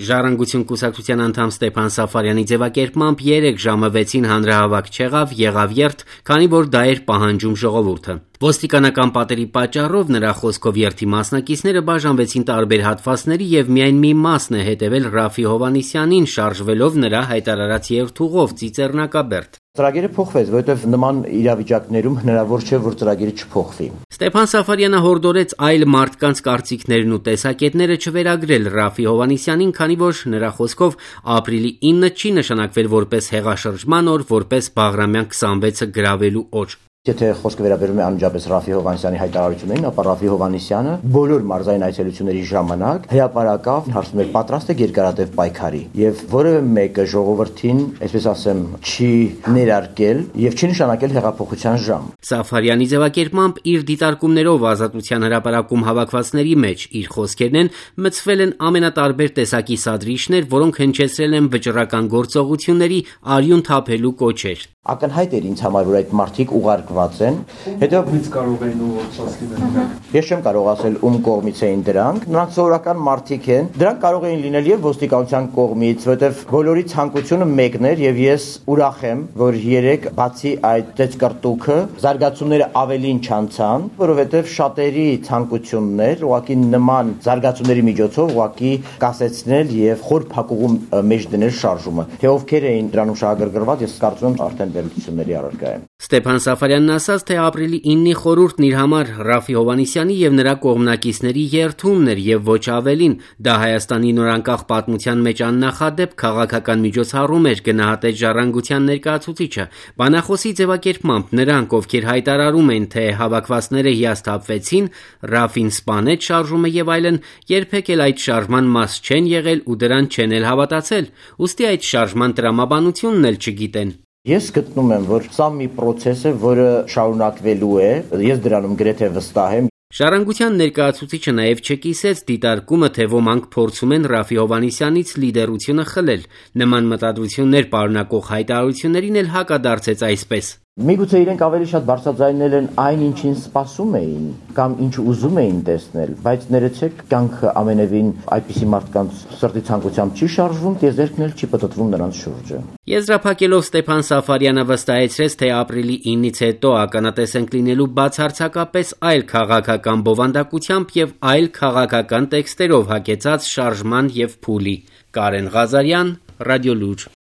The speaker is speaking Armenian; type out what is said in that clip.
Ժառանգություն կուսակցության անդամ Ստեփան Սաֆարյանի ձևակերպմամբ 3 ժամը 6-ին հանրահավաք եղավ երթ, քանի որ դա էր պահանջում ժողովուրդը։ Ոստիկանական պատերի պատճառով նրա խոսքով երթի մասնակիցները բաժանվեցին տարբեր հատվածների եւ միայն մի մասն է հետեւել Ռաֆի Հովհաննիսյանին, շարժվելով նրա հայտարարած երթուղով Ծիծեռնակաբերդ։ Ծրագիրը փոխվեց, որովհետև նման իրավիճակներում հնարավոր չէ, որ ծրագիրը չփոխվի։ Ստեփան Սաֆարյանը հորդորեց այլ մարդկանց կարծիքներն ու տեսակետները չվերագրել Ռաֆի Հովհաննիսյանին, քանի որ նրա խոսքով ապրիլի 9-ը չի նշանակվել որպես հեղաշրջման օր, որպես Բաղրամյան 26-ը գրավելու օր։ Եթե խոսքը վերաբերում է անմիջապես Ռաֆի Հովհաննիսյանի հայտարարություններին, ապա Ռաֆի Հովհաննիսյանը բոլոր մարզային այցելությունների ժամանակ հրապարակավ հարցում էր պատրաստ է երկարատև պայքարի եւ որևէ մեկը ժողովրդին, այսպես ասեմ, չի ներարկել եւ չի նշանակել հեղափոխության ժամ։ Սաֆարյանի ձևակերպմամբ իր դիտարկումներով Ազատության հրապարակում հավաքվածների մեջ իր խոսքերն են մտցվել են ամենատարբեր տեսակի սադրիչներ, որոնք հնչեցրել են վճռական գործողությունների արյուն թափելու կոչեր։ Ակնհայտ էր ինձ համար, որ այդ մարդիկ ուղարկված են, հետո կարող էին ուղղված լինել։ Ես չեմ կարող ասել ում կողմից էին դրանք, նրանք սովորական մարդիկ են, դրանք կարող էին լինել եւ ոստիկանության կողմից, որովհետեւ բոլորի ցանկությունը մեկն էր եւ ես ուրախ եմ, որ երեք բացի այդ ծեծկրտուքը զարգացումները ավելին չանցան, որովհետեւ շատերի ցանկությունն էր ուղղակի նման զարգացումների միջոցով ուղղակի կասեցնել եւ խոր փակուղում մեջ դնել շարժումը։ Թե ովքեր էին դրանում շահագրգռված, ես կարծում եմ արդեն վերլուծությունների առարկա է։ Ստեփան Սաֆարյանն ասաց, թե ապրիլի 9-ի խորհուրդն իր համար Ռաֆի Հովհաննիսյանի եւ նրա կողմնակիցների երթումն էր եւ ոչ ավելին։ Դա Հայաստանի նորանկախ պատմության մեջ աննախադեպ քաղաքական միջոցառում էր, գնահատեց Ժառանգության ներկայացուցիչը։ Բանախոսի ձևակերպմամբ նրանք, ովքեր հայտարարում են, թե հավաքվածները հիասթափվեցին, Ռաֆին սպանեց շարժումը եւ այլն, երբեք էլ այդ շարժման մաս չեն եղել ու դրան չեն էլ հավատացել։ Ուստի այդ շարժման տրամաբանությունն էլ չգիտեն։ Ես գտնում եմ, որ սա մի process է, որը շարունակվելու է, ես դրանում գրեթե վստահ եմ։ Ժառանգության ներկայացուցիչը նաև չկիսեց դիտարկումը, թե ոմանք փորձում են Ռաֆի Հովհաննիսյանից լիդերությունը խլել։ Նման մտադրություններ պարունակող հայտարարություններին էլ հակադարձեց այսպես. Միգուցե իրենք ավելի շատ բարձրաձայնել են այն, ինչին սպասում էին, կամ ինչ ուզում էին տեսնել, բայց ներեցեք, կյանքը ամենևին այդպիսի մարդկանց սրտի ցանկությամբ չի շարժվում, տիեզերքն էլ չի պտտվում նրանց շուրջը։ Եզրափակելով Ստեփան Սաֆարյանը վստահեցրեց, թե ապրիլի 9-ից հետո ականատես ենք լինելու բացարձակապես այլ քաղաքական բովանդակությամբ եւ այլ քաղաքական տեքստերով հագեցած շարժման եւ փուլի։ Կարեն Ղազարյան, Ռադիոլուր։